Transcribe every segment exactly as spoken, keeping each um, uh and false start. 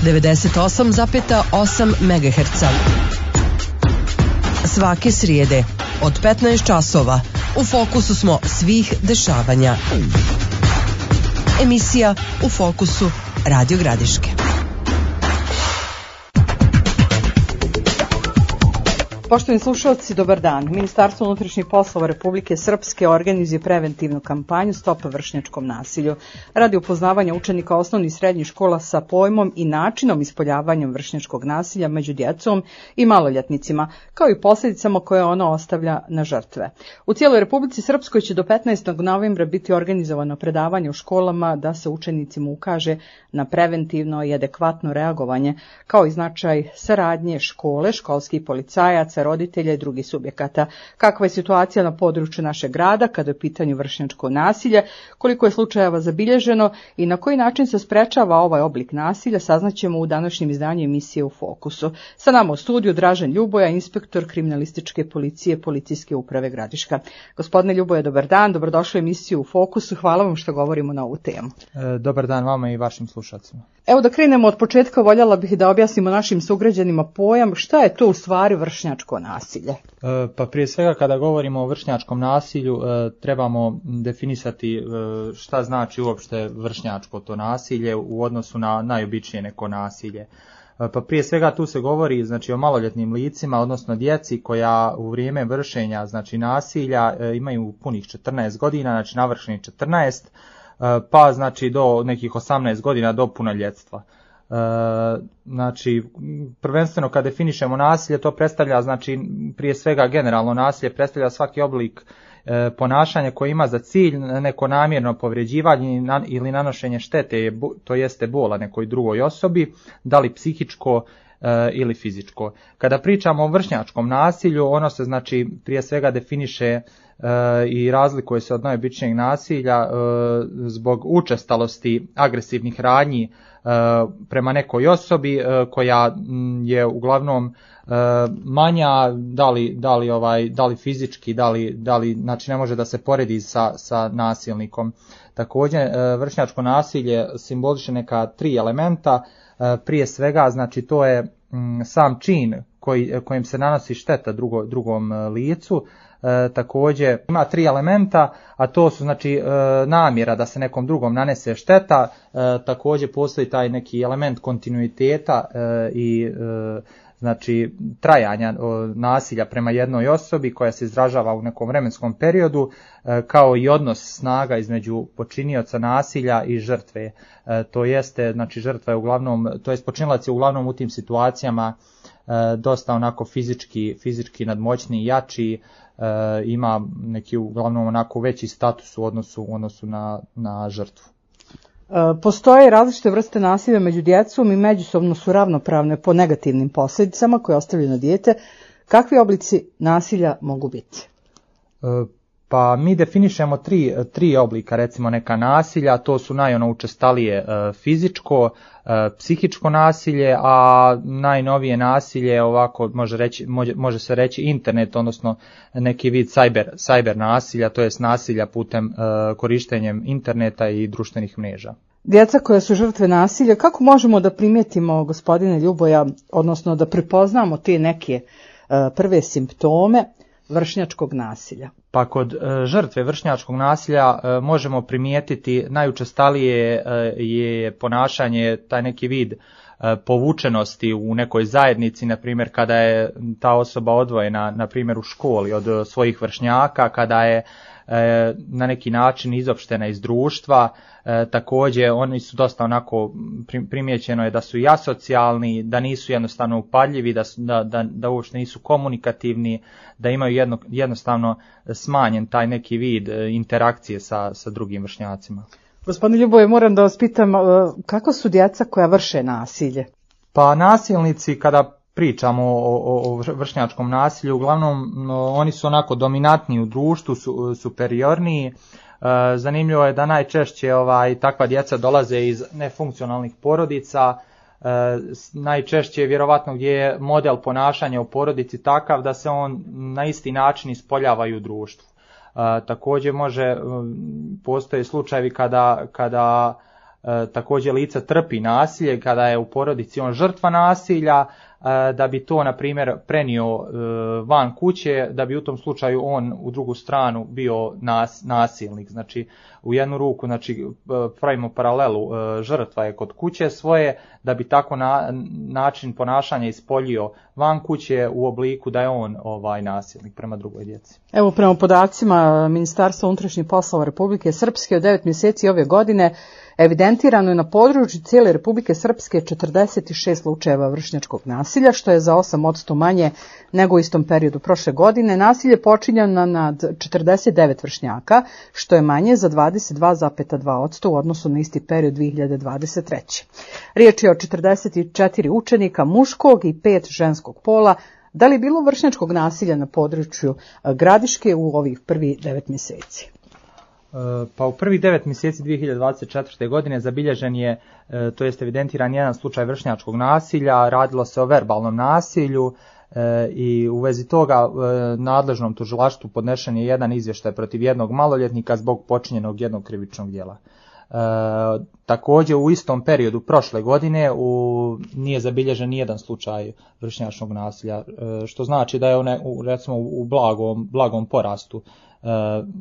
devedeset osam zarez osam megaherca. Svake srijede od petnaest časova u fokusu smo svih dešavanja. Emisija U fokusu Radio Gradiške. Poštovani slušalci, dobar dan. Ministarstvo unutrašnjih poslova Republike Srpske organizuje preventivnu kampanju Stop vršnjačkom nasilju radi upoznavanja učenika osnovnih i srednjih škola sa pojmom i načinom ispoljavanja vršnjačkog nasilja među djecom i maloljetnicima, kao i posljedicama koje ono ostavlja na žrtve. U cijeloj Republici Srpskoj će do petnaestog novembra biti organizovano predavanje u školama da se učenicima ukaže na preventivno i adekvatno reagovanje, kao i značaj saradnje škole, školskih policajaca, roditelja i drugih subjekata. Kakva je situacija na području našeg grada kada je u pitanju vršnjačko nasilje, koliko je slučajeva zabilježeno i na koji način se sprečava ovaj oblik nasilja, saznaćemo u današnjem izdanju emisije U fokusu. Sa nama u studiju Dražen Ljuboja, inspektor kriminalističke policije Policijske uprave Gradiška. Gospodine Ljuboja, dobar dan, dobrodošli u emisiju U fokusu. Hvala vam što govorimo na ovu temu. E, dobar dan vama i vašim slušalcima. Evo da krenemo od početka, voljela bih da objasnimo našim sugrađanima pojam šta je to u stvari vršnjačko nasilje. E, pa prije svega kada govorimo o vršnjačkom nasilju e, trebamo definisati e, šta znači uopšte vršnjačko to nasilje u odnosu na najobičnije neko nasilje. E, pa prije svega tu se govori znači o maloljetnim licima, odnosno djeci koja u vrijeme vršenja znači nasilja e, imaju punih četrnaest godina, znači navršenih četrnaest, pa znači do nekih osamnaest godina do punoljetstva. E, znači prvenstveno kad definišemo nasilje, to predstavlja znači prije svega generalno nasilje predstavlja svaki oblik e, ponašanja koji ima za cilj neko namjerno povređivanje ili nanošenje štete, to jeste bola nekoj drugoj osobi, da li psihičko e, ili fizičko. Kada pričamo o vršnjačkom nasilju, ono se znači prije svega definiše i razlikuje se od najobičnijeg nasilja zbog učestalosti agresivnih radnji prema nekoj osobi koja je uglavnom manja, da li, da li, ovaj, da li fizički, da li, da li, znači ne može da se poredi sa, sa nasilnikom. Također vršnjačko nasilje simboliše neka tri elementa, prije svega znači to je sam čin koji, kojim se nanosi šteta drugo, drugom licu. E, također ima tri elementa, a to su znači e, namjera da se nekom drugom nanese šteta, e, također postoji taj neki element kontinuiteta e, i e, znači trajanja o, nasilja prema jednoj osobi koja se izražava u nekom vremenskom periodu, e, kao i odnos snaga između počinioca nasilja i žrtve. E, to jeste znači žrtva je uglavnom, to jest počinilac je uglavnom u tim situacijama e, dosta onako fizički, fizički nadmoćni i jači, E, ima neki uglavnom onako veći status u odnosu, u odnosu na, na žrtvu. E, postoje različite vrste nasilja među djecom i međusobno su ravnopravne po negativnim posljedicama koje ostavljaju na dijete. Kakvi oblici nasilja mogu biti? E, pa mi definišemo tri, tri oblika recimo neka nasilja, to su najono učestalije e, fizičko, e, psihičko nasilje, a najnovije nasilje ovako može, reći, može, može se reći internet, odnosno neki vid cyber, cyber nasilja, to jest nasilja putem e, korištenjem interneta i društvenih mreža. Djeca koja su žrtve nasilja, kako možemo da primijetimo, gospodine Ljuboja, odnosno da prepoznamo te neke e, prve simptome vršnjačkog nasilja? Pa kod e, žrtve vršnjačkog nasilja e, možemo primijetiti najučestalije e, je ponašanje, taj neki vid e, povučenosti u nekoj zajednici, na primjer kada je ta osoba odvojena, na primjer u školi od svojih vršnjaka, kada je e, na neki način izopštena iz društva. E, također oni su dosta onako, primijećeno je da su i asocijalni, da nisu jednostavno upadljivi, da, su, da, da, da uopšte nisu komunikativni, da imaju jedno, jednostavno smanjen taj neki vid interakcije sa, sa drugim vršnjacima. Gospodine Ljuboje, moram da vas pitam, kako su djeca koja vrše nasilje? Pa nasilnici, kada pričamo o, o, o vršnjačkom nasilju, uglavnom no, oni su onako dominantni u društvu, su, superiorniji. E, zanimljivo je da najčešće ovaj, takva djeca dolaze iz nefunkcionalnih porodica, e, najčešće vjerovatno gdje je model ponašanja u porodici takav da se on na isti način ispoljava i u društvu. E, također može, postoje slučajevi kada, kada E, također lice trpi nasilje kada je u porodici on žrtva nasilja, e, da bi to na primjer prenio e, van kuće, da bi u tom slučaju on u drugu stranu bio nas, nasilnik. Znači u jednu ruku znači, pravimo paralelu, e, žrtva je kod kuće svoje, da bi tako na, način ponašanja ispoljio van kuće u obliku da je on ovaj nasilnik prema drugoj djeci. Evo prema podacima Ministarstva unutrašnjih poslova Republike Srpske od devet mjeseci ove godine evidentirano je na području cijele Republike Srpske četrdeset šest slučajeva vršnjačkog nasilja, što je za osam posto manje nego u istom periodu prošle godine. Nasilje je počinjeno nad četrdeset devet vršnjaka, što je manje za dvadeset dva zarez dva posto u odnosu na isti period dvije hiljade dvadeset treće. Riječ je o četrdeset četiri učenika muškog i pet ženskog pola. Da li je bilo vršnjačkog nasilja na području Gradiške u ovih prvih devet mjeseci? Pa u prvih devet mjeseci dvije hiljade dvadeset četvrte. godine zabilježen je, to jest evidentiran jedan slučaj vršnjačkog nasilja, radilo se o verbalnom nasilju i u vezi toga nadležnom tužilaštvu podnešen je jedan izvještaj protiv jednog maloljetnika zbog počinjenog jednog krivičnog djela. E, također u istom periodu prošle godine u, nije zabilježen nijedan slučaj vršnjačkog nasilja, e, što znači da je one, u, recimo u blagom, blagom porastu e,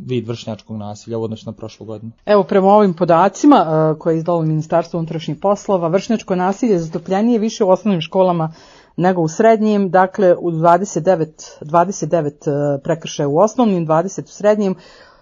vid vršnjačkog nasilja u odnosu na prošlu godinu. Evo prema ovim podacima e, koje je izdalo Ministarstvo unutrašnjih poslova, vršnjačko nasilje zastupljenije više u osnovnim školama nego u srednjim, dakle u dvadeset devet, dvadeset devet prekršaja u osnovnim, dvadeset u srednjim.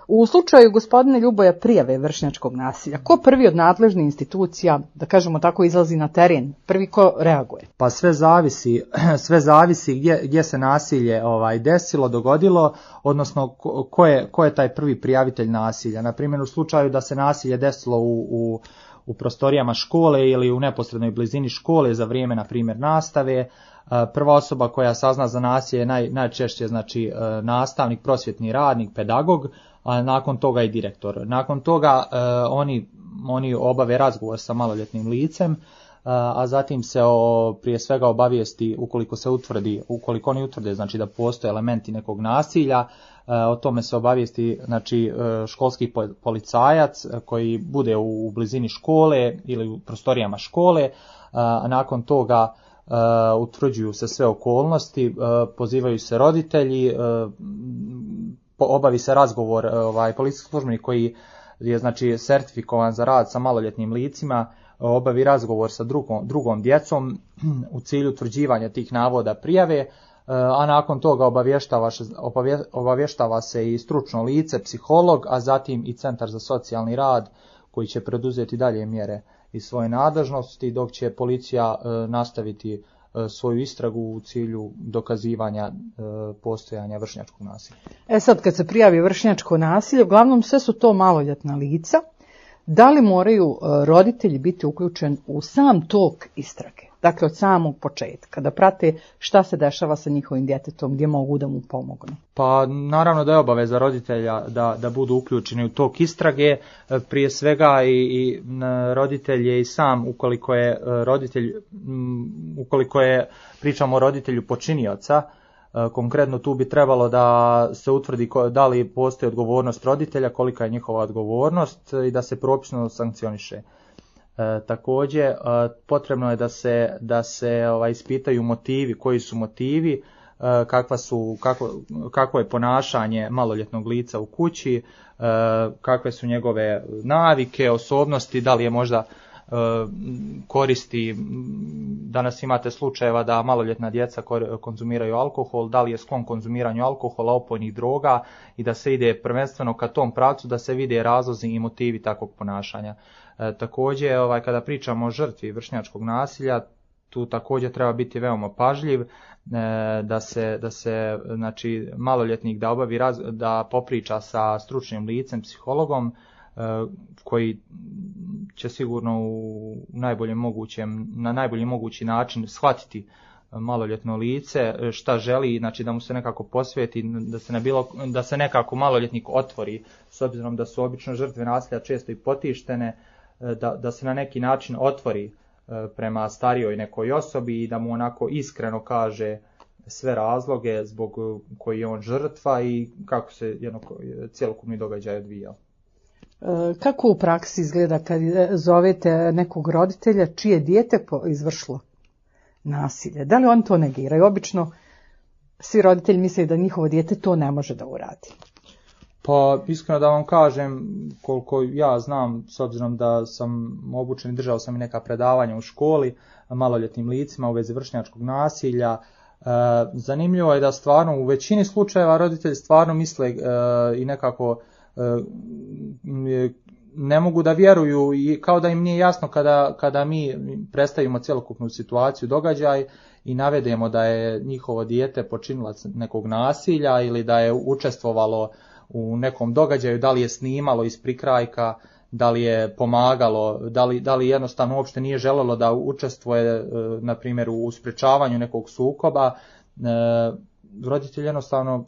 U slučaju gospodina Ljuboja prijave vršnjačkog nasilja, ko prvi od nadležnih institucija, da kažemo tako, izlazi na teren, prvi ko reaguje? Pa sve zavisi, sve zavisi gdje, gdje se nasilje ovaj, desilo, dogodilo, odnosno ko, ko, je, ko je taj prvi prijavitelj nasilja. Na primjer u slučaju da se nasilje desilo u, u, u prostorijama škole ili u neposrednoj blizini škole za vrijeme, na primjer, nastave, prva osoba koja sazna za nasilje je naj, najčešće znači, nastavnik, prosvjetni radnik, pedagog, a nakon toga i direktor. Nakon toga eh, oni, oni obave razgovor sa maloljetnim licem, eh, a zatim se o, prije svega obavijesti ukoliko se utvrdi, ukoliko oni utvrde znači da postoje elementi nekog nasilja, eh, o tome se obavijesti znači školski policajac koji bude u, u blizini škole ili u prostorijama škole, a nakon toga Uh, utvrđuju se sve okolnosti, uh, pozivaju se roditelji, uh, obavi se razgovor, uh, ovaj policijski službenik koji je znači sertifikovan za rad sa maloljetnim licima, uh, obavi razgovor sa drugom, drugom djecom u cilju utvrđivanja tih navoda prijave, uh, a nakon toga obavještava, obavje, obavještava se i stručno lice, psiholog, a zatim i Centar za socijalni rad koji će preduzeti dalje mjere iz svoje nadležnosti, dok će policija e, nastaviti e, svoju istragu u cilju dokazivanja e, postojanja vršnjačkog nasilja. E sad, kad se prijavi vršnjačko nasilje, uglavnom sve su to maloljetna lica. Da li moraju e, roditelji biti uključeni u sam tok istrage? Dakle, od samog početka, da prate šta se dešava sa njihovim djetetom, gdje mogu da mu pomognu. Pa naravno da je obaveza roditelja da, da budu uključeni u tok istrage, prije svega i, i roditelj je i sam, ukoliko je roditelj, ukoliko je, pričamo o roditelju počinioca, konkretno tu bi trebalo da se utvrdi da li postoji odgovornost roditelja, kolika je njihova odgovornost i da se propisno sankcioniše. E, također e, potrebno je da se, da se ovaj, ispitaju motivi, koji su motivi, e, kakva su, kako, kakvo je ponašanje maloljetnog lica u kući, e, kakve su njegove navike, osobnosti, da li je možda e, koristi, danas imate slučajeva da maloljetna djeca konzumiraju alkohol, da li je sklon konzumiranju alkohola, opojnih droga i da se ide prvenstveno ka tom pravcu da se vide razlozi i motivi takvog ponašanja. E, također, ovaj, kada pričamo o žrtvi vršnjačkog nasilja, tu također treba biti veoma pažljiv, e, da se, da se znači, maloljetnik da obavi raz, da popriča sa stručnim licem, psihologom, e, koji će sigurno u najboljem mogućem, na najbolji mogući način shvatiti maloljetno lice, šta želi, znači da mu se nekako posvijeti, da se, ne bilo, da se nekako maloljetnik otvori, s obzirom da su obično žrtve nasilja često i potištene, da, da se na neki način otvori prema starijoj nekoj osobi i da mu onako iskreno kaže sve razloge zbog koji je on žrtva i kako se jedno cjelokupni događaj odvijao. Kako u praksi izgleda kad zovete nekog roditelja čije dijete izvršilo nasilje? Da li oni to negiraju? Obično svi roditelji misle da njihovo dijete to ne može da uradi. Pa iskreno da vam kažem, koliko ja znam, s obzirom da sam obučen i držao sam i neka predavanja u školi maloljetnim licima u vezi vršnjačkog nasilja, e, zanimljivo je da stvarno u većini slučajeva roditelji stvarno misle e, i nekako e, ne mogu da vjeruju i kao da im nije jasno kada, kada mi predstavimo cjelokupnu situaciju, događaj i navedemo da je njihovo dijete počinilac nekog nasilja ili da je učestvovalo u nekom događaju, da li je snimalo iz prikrajka, da li je pomagalo, da li, da li jednostavno uopšte nije želelo da učestvuje, na primjer, u sprečavanju nekog sukoba. Roditelji jednostavno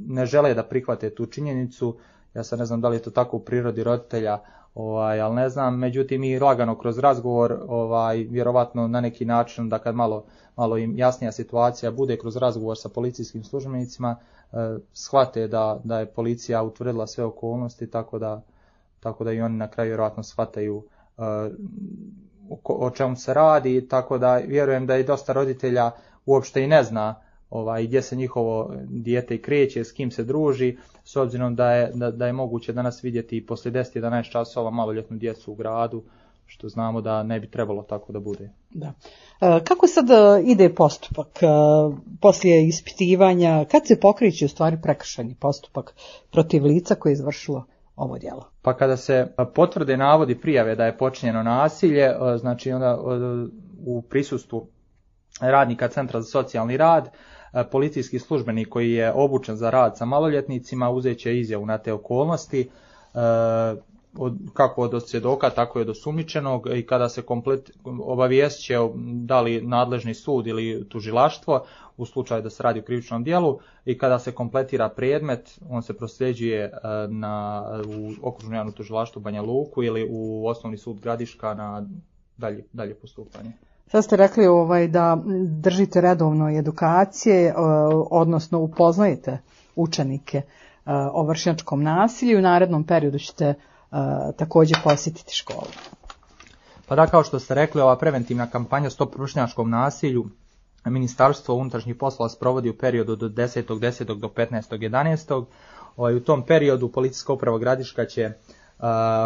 ne žele da prihvate tu činjenicu. Ja sad ne znam da li je to tako u prirodi roditelja, ovaj, ali ne znam, međutim i lagano kroz razgovor, ovaj, vjerovatno na neki način da kad malo, malo im jasnija situacija bude kroz razgovor sa policijskim službenicima, eh, shvate da, da je policija utvrdila sve okolnosti, tako da, tako da i oni na kraju vjerovatno shvataju eh, o, o čemu se radi, tako da vjerujem da i dosta roditelja uopšte i ne zna ovaj, gdje se njihovo dijete i kreće, s kim se druži, s obzirom da je, da, da je moguće danas vidjeti i poslije deset do jedanaest časova maloljetnu djecu u gradu, što znamo da ne bi trebalo tako da bude. Da. E, kako sad ide postupak e, poslije ispitivanja, kad se pokreće u stvari prekršajni postupak protiv lica koje je izvršilo ovo djelo? Pa kada se potvrde navodi prijave da je počinjeno nasilje, znači onda u prisustvu radnika Centra za socijalni rad, policijski službenik koji je obučen za rad sa maloljetnicima uzet će izjavu na te okolnosti, kako od svjedoka, tako i od osumnjičenog, i kada se komplet obavijest će da li nadležni sud ili tužilaštvo u slučaju da se radi o krivičnom djelu, i kada se kompletira predmet, on se prosljeđuje na, u okružno javno tužilaštvo Banja Luku ili u osnovni sud Gradiška na dalje, dalje postupanje. Sad ste rekli ovaj, da držite redovno edukacije, odnosno upoznajete učenike o vršnjačkom nasilju i u narednom periodu ćete također posjetiti školu. Pa da, kao što ste rekli, ova preventivna kampanja Stop vršnjačkom nasilju Ministarstvo unutrašnjih poslova sprovodi u periodu od desetog desetog do petnaestog jedanaestog U tom periodu Policijska uprava Gradiška će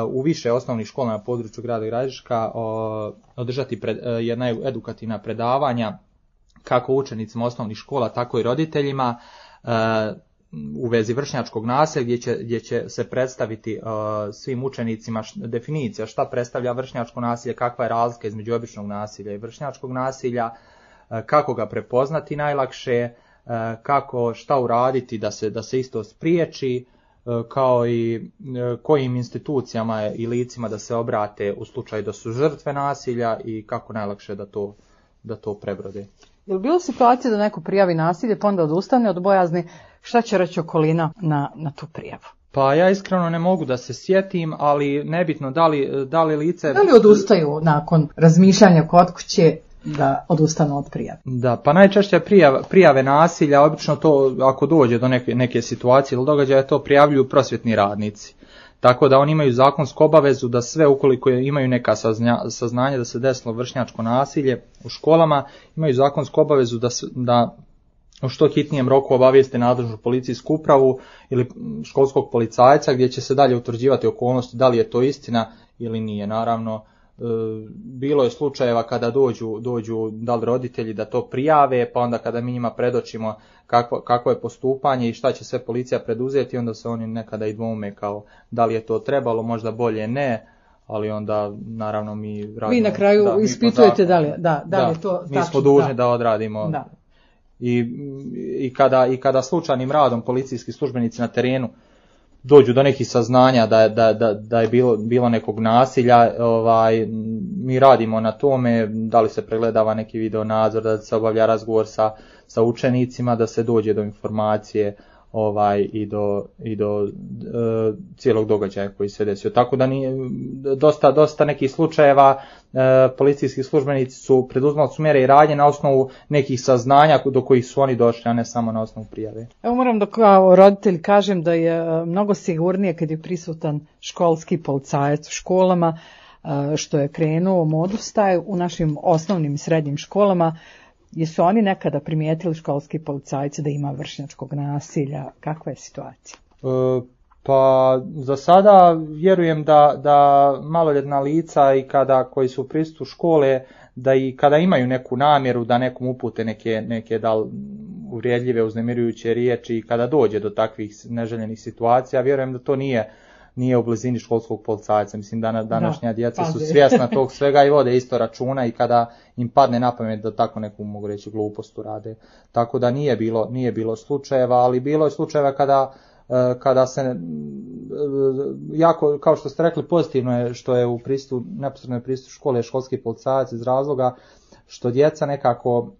u više osnovnih škola na području grada Gradiška održati pred, jedna edukativna predavanja kako učenicima osnovnih škola, tako i roditeljima u vezi vršnjačkog nasilja, gdje će, gdje će se predstaviti svim učenicima definicija šta predstavlja vršnjačko nasilje, kakva je razlika između običnog nasilja i vršnjačkog nasilja, kako ga prepoznati najlakše, kako šta uraditi da se, da se isto spriječi, kao i kojim institucijama i licima da se obrate u slučaju da su žrtve nasilja i kako najlakše da to, da to prebrode. Je li bilo situacija da neko prijavi nasilje pa onda odustane od bojazni, šta će reći okolina na, na tu prijavu? Pa ja iskreno ne mogu da se sjetim, ali nebitno da li, da li lice... Da li odustaju nakon razmišljanja kod kuće da odustanu od prijave? Da, pa najčešće prijave, prijave nasilja, obično to ako dođe do neke, neke situacije ili događaja, to prijavljuju prosvjetni radnici. Tako da oni imaju zakonsku obavezu da sve, ukoliko imaju neka saznanja da se desilo vršnjačko nasilje u školama, imaju zakonsku obavezu da, da u što hitnijem roku obavijeste nadležnu policijsku upravu ili školskog policajca, gdje će se dalje utvrđivati okolnosti da li je to istina ili nije. Naravno, bilo je slučajeva kada dođu, dođu da li roditelji da to prijave, pa onda kada mi njima predočimo kakvo, kakvo je postupanje i šta će sve policija preduzeti, onda se oni nekada i dvoume kao da li je to trebalo, možda bolje ne, ali onda naravno mi radimo... Vi na kraju da, ispitujete da li, da, da li je to tačno. Mi smo dužni da, da odradimo. Da. I, i, kada, I kada slučajnim radom policijski službenici na terenu dođu do nekih saznanja da, da, da, da je bilo, bilo nekog nasilja, ovaj, mi radimo na tome, da li se pregledava neki video nadzor, da se obavlja razgovor sa, sa učenicima, da se dođe do informacije, ovaj i do i do e, cijelog događaja koji se desio. Tako da nije dosta dosta nekih slučajeva e, policijski službenici su preduzimali su mjere i radnje na osnovu nekih saznanja do kojih su oni došli, a ne samo na osnovu prijave. Evo moram da kao roditelj kažem da je mnogo sigurnije kad je prisutan školski policajac u školama, što je krenuo modus taj u našim osnovnim i srednjim školama. Jesu oni nekada primijetili školski policajci da ima vršnjačkog nasilja? Kakva je situacija? E, pa za sada vjerujem da, da maloljetna lica i kada koji su u prisutu škole, da i kada imaju neku namjeru da nekom upute neke, neke da uvrijedljive, uznemirujuće riječi i kada dođe do takvih neželjenih situacija, vjerujem da to nije nije u blizini školskog policajca. Mislim da današnja djeca su svjesna tog svega i vode isto računa i kada im padne na pamet da tako neku, mogu reći, glupost rade. Tako da nije bilo, nije bilo slučajeva, ali bilo je slučajeva kada, kada se jako, kao što ste rekli, pozitivno je što je u pristupu, neposrednoj pristupu škole školski policajac iz razloga što djeca nekako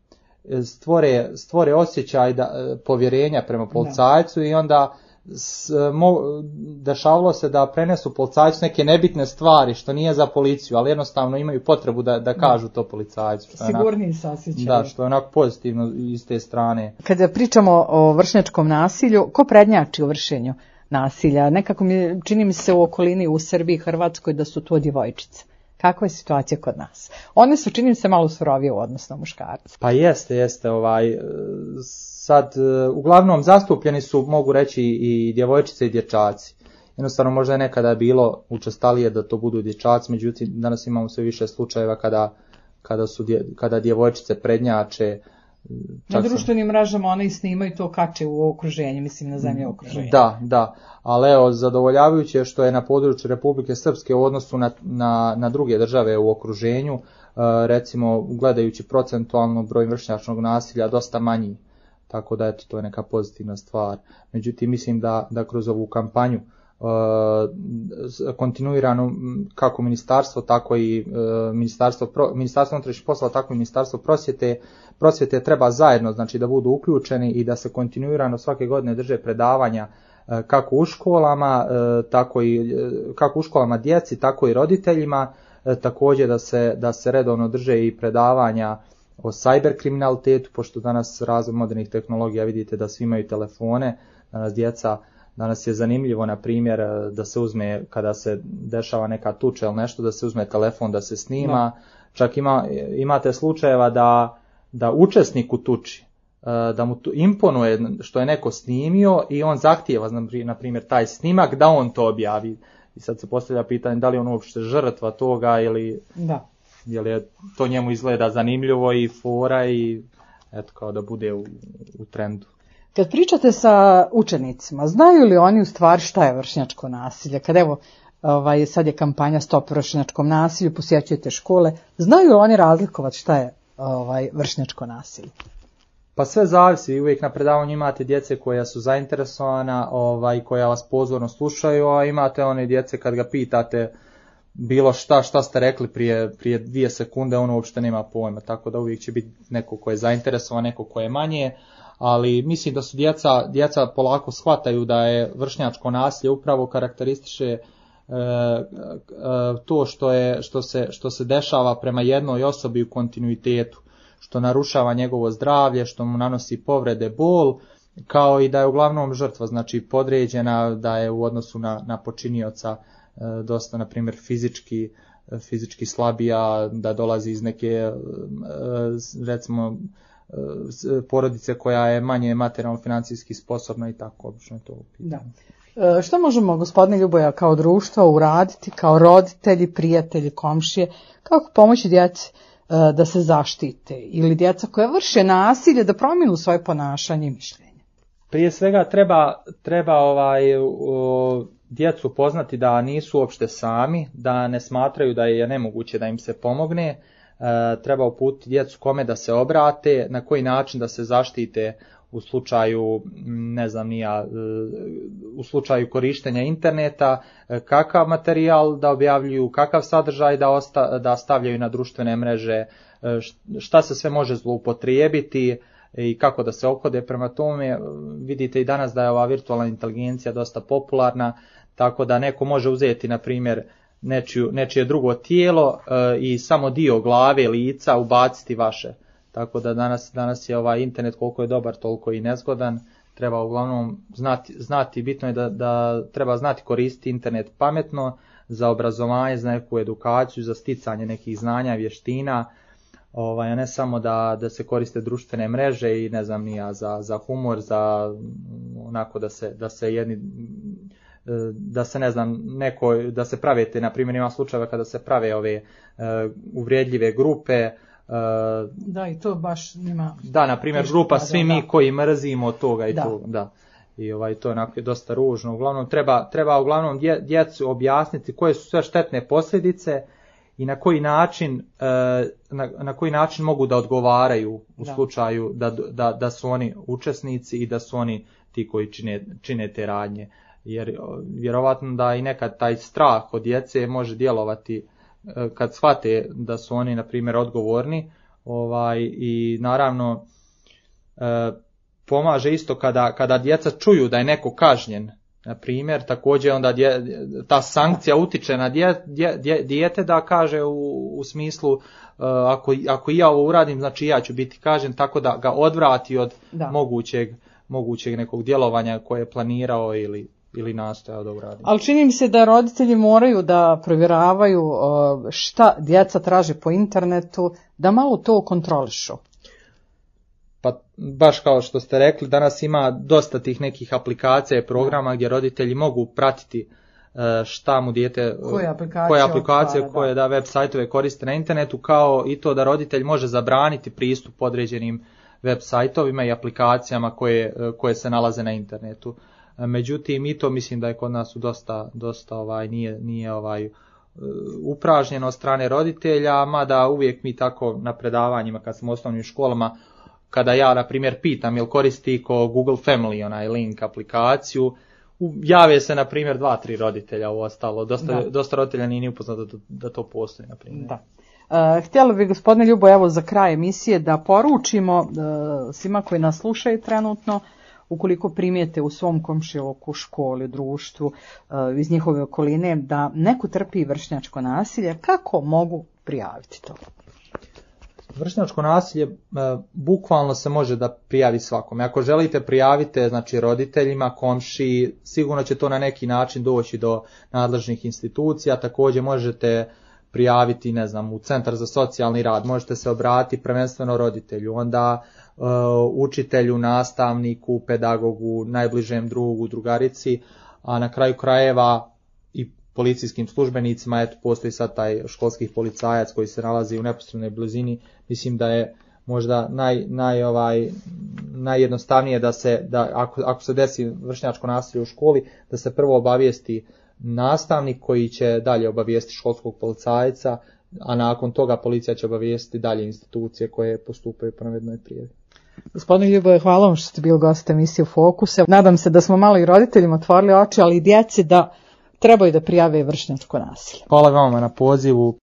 stvore, stvore osjećaj da, povjerenja prema policajcu i onda S, mo, dešavalo se da prenesu policajcu neke nebitne stvari što nije za policiju, ali jednostavno imaju potrebu da, da kažu to policajcu. Sigurniji se osjećaju. Da, što je onako pozitivno iz te strane. Kada pričamo o vršnjačkom nasilju, ko prednjači u vršenju nasilja? Nekako mi čini mi se u okolini u Srbiji i Hrvatskoj da su to djevojčice. Kakva je situacija kod nas? One su, čini mi se, malo surovije u odnosu na muškarce. Pa jeste, jeste. Ovaj, sad, uglavnom zastupljeni su, mogu reći, i djevojčice i dječaci. Jednostavno možda je nekada bilo učestalije da to budu dječaci, međutim danas imamo sve više slučajeva kada, kada, su dje, kada djevojčice prednjače. Na društvenim mrežama one i snimaju to kače u okruženju, mislim na zemlje okruženja. Da, da, ali evo, zadovoljavajuće što je na području Republike Srpske u odnosu na, na, na druge države u okruženju, recimo gledajući procentualno broj vršnjačnog nasilja dosta manji, tako da eto, to je neka pozitivna stvar. Međutim, mislim da, da kroz ovu kampanju kontinuirano kako ministarstvo, tako i ministarstvo, ministarstvo unutrašnjih poslova, tako i ministarstvo prosvjete, prosvjete treba zajedno, znači da budu uključeni i da se kontinuirano svake godine drže predavanja kako u školama, tako i kako u školama djeci, tako i roditeljima, također da se da se redovno drže i predavanja o cyber kriminalitetu, pošto danas razvoj modernih tehnologija vidite da svi imaju telefone, danas djeca Danas je zanimljivo, na primjer, da se uzme, kada se dešava neka tuča ili nešto, da se uzme telefon, da se snima. No. Čak ima, imate slučajeva da, da učesnik u tuči, da mu imponuje što je neko snimio i on zahtijeva, na primjer, taj snimak da on to objavi. I sad se postavlja pitanje da li on uopšte žrtva toga ili da. Je li to njemu izgleda zanimljivo i fora i eto kao da bude u, u trendu. Kad pričate sa učenicima, znaju li oni u stvari šta je vršnjačko nasilje? Kad evo, ovaj, sad je kampanja Stop vršnjačkom nasilju, posjećujete škole, znaju li oni razlikovati šta je ovaj, vršnjačko nasilje? Pa sve zavisi, uvijek na predavanju imate djece koja su zainteresovana, ovaj, koja vas pozorno slušaju, a imate one djece kad ga pitate bilo šta, šta ste rekli prije, prije dvije sekunde, ono uopšte nema pojma, tako da uvijek će biti neko ko je zainteresovan, neko ko je manje, ali mislim da su djeca, djeca polako shvataju da je vršnjačko nasilje upravo karakterističe e, e, to što, je, što, se, što se dešava prema jednoj osobi u kontinuitetu, što narušava njegovo zdravlje, što mu nanosi povrede, bol, kao i da je uglavnom žrtva, znači podređena, da je u odnosu na, na počinioca e, dosta, na primjer, fizički, fizički slabija, da dolazi iz neke, e, recimo, porodice koja je manje materijalno financijski sposobna i tako obično je to pitanje. Da. E, što možemo, gospodine Ljuboja, kao društvo uraditi, kao roditelji, prijatelji, komšije, kako pomoći djeci e, da se zaštite ili djeca koja vrše nasilje da promijenu svoje ponašanje i mišljenje? Prije svega treba, treba ovaj, o, djecu poznati da nisu uopšte sami, da ne smatraju da je nemoguće da im se pomogne. E, treba uputiti djecu kome da se obrate, na koji način da se zaštite u slučaju, ne znam nija, u slučaju korištenja interneta, kakav materijal da objavljuju, kakav sadržaj da, osta, da stavljaju na društvene mreže, šta se sve može zloupotrijebiti, i kako da se ophode prema tome. Vidite i danas da je ova virtualna inteligencija dosta popularna, tako da neko može uzeti, na primjer, nečiju, nečije drugo tijelo e, i samo dio glave, lica ubaciti vaše. Tako da danas, danas je ovaj internet koliko je dobar, toliko i nezgodan. Treba uglavnom znati, znati bitno je da, da treba znati koristiti internet pametno za obrazovanje, za neku edukaciju, za sticanje nekih znanja, vještina, ovaj, a ne samo da, da se koriste društvene mreže i ne znam ni ja, za, za humor, za onako da se, da se jedni da se ne znam neko da se prave te, na primjer ima slučajeva kada se prave ove uh, uvrijedljive grupe. Uh, da, i to baš nema. Da, na primjer grupa da, svi da, mi koji mrzimo toga i da. to, da. I ovaj to je onako dosta ružno. Uglavnom treba treba uglavnom dje, djecu objasniti koje su sve štetne posljedice i na koji način uh, na, na koji način mogu da odgovaraju u da. slučaju da, da da su oni učesnici i da su oni ti koji čine čine te radnje. Jer vjerovatno da i nekad taj strah od djece može djelovati kad shvate da su oni na primjer odgovorni, ovaj, i naravno e, pomaže isto kada, kada djeca čuju da je neko kažnjen, na primjer, također onda dje, ta sankcija utiče na dje, dje, dje, dijete da kaže u, u smislu e, ako, ako i ja ovo uradim, znači ja ću biti kažnjen, tako da ga odvrati od da. mogućeg, mogućeg nekog djelovanja koje je planirao ili ili nastojao da uradi. Ali čini mi se da roditelji moraju da provjeravaju šta djeca traže po internetu, da malo to kontrolišu. Pa baš kao što ste rekli, danas ima dosta tih nekih aplikacija i programa gdje roditelji mogu pratiti šta mu dijete, koje aplikacije, koje, aplikacije, otvara, koje da. da web sajtove koriste na internetu, kao i to da roditelj može zabraniti pristup određenim web sajtovima i aplikacijama koje, koje se nalaze na internetu. Međutim, i to mislim da je kod nas dosta, dosta ovaj, nije, nije ovaj, upražnjeno od strane roditelja, mada uvijek mi tako na predavanjima kad smo u osnovnim školama, kada ja na primjer pitam jel koristi ko Google Family onaj link aplikaciju, jave se na primjer dva, tri roditelja u ostalo, dosta, dosta roditelja nije ni upoznato da, da to postoji na primjer. Da. Uh, htjela bih gospodine Ljubo evo za kraj emisije da poručimo uh, svima koji nas slušaju trenutno, ukoliko primijete u svom komšiluku, školi, društvu, iz njihove okoline da neko trpi vršnjačko nasilje, kako mogu prijaviti to? Vršnjačko nasilje bukvalno se može da prijavi svakome. Ako želite prijavite, znači roditeljima, komšiji, sigurno će to na neki način doći do nadležnih institucija. Također možete prijaviti, ne znam, u Centar za socijalni rad, možete se obratiti prvenstveno roditelju, onda uh, učitelju, nastavniku, pedagogu, najbližem drugu, drugarici, a na kraju krajeva i policijskim službenicima. Eto, postoji sad taj školski policajac koji se nalazi u neposrednoj blizini. Mislim da je možda naj, naj, ovaj, najjednostavnije da se, da ako, ako se desi vršnjačko nasilje u školi, da se prvo obavijesti nastavnik koji će dalje obavijesti školskog policajca, a nakon toga policija će obavijesti dalje institucije koje postupaju po navedenoj prijavi. Gospodine Ljuboje, hvala vam što ste bili gost emisije Fokus. Nadam se da smo malo i roditeljima otvorili oči, ali i djeci da trebaju da prijave vršnjačko nasilje. Hvala vama na pozivu.